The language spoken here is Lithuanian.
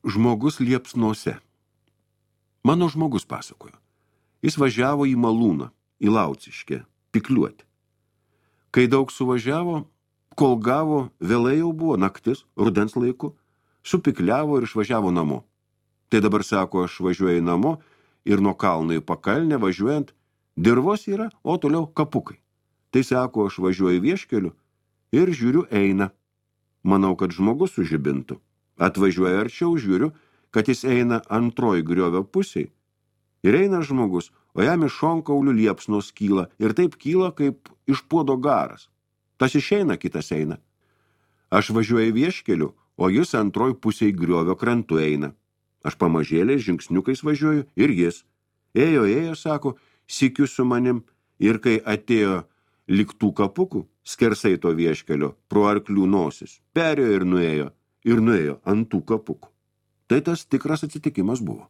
Žmogus liepsnose. Mano žmogus pasakojo. Jis važiavo į Malūną, į Lauciškę, pikliuoti. Kai daug suvažiavo, kol gavo, vėlai jau buvo naktis, rudens laiku, supikliavo ir išvažiavo namo. Tai dabar sako, aš važiuoju namo ir nuo kalno į pakalnę važiuojant, dirvos yra, o toliau kapukai. Tai sako, aš važiuoju vieškeliu ir žiūriu eina. Manau, kad žmogus sužibintų. Atvažiuoju arčiau, žiūriu, kad jis eina antroj griovio pusiai. Ir eina žmogus, o jam iš šonkaulių liepsnos kyla ir taip kyla, kaip iš puodo garas. Tas išeina, kitas eina. Aš važiuoju vieškeliu, o jis antroj pusiai griovio krantu eina. Aš pamažėliais žingsniukais važiuoju ir jis. Ėjo, sako, sykiu su manim, ir kai atėjo liktų kapukų, skersai to vieškelio, pro arklių nosis, perėjo ir nuėjo ant tų kapukų. Tai tas tikras atsitikimas buvo.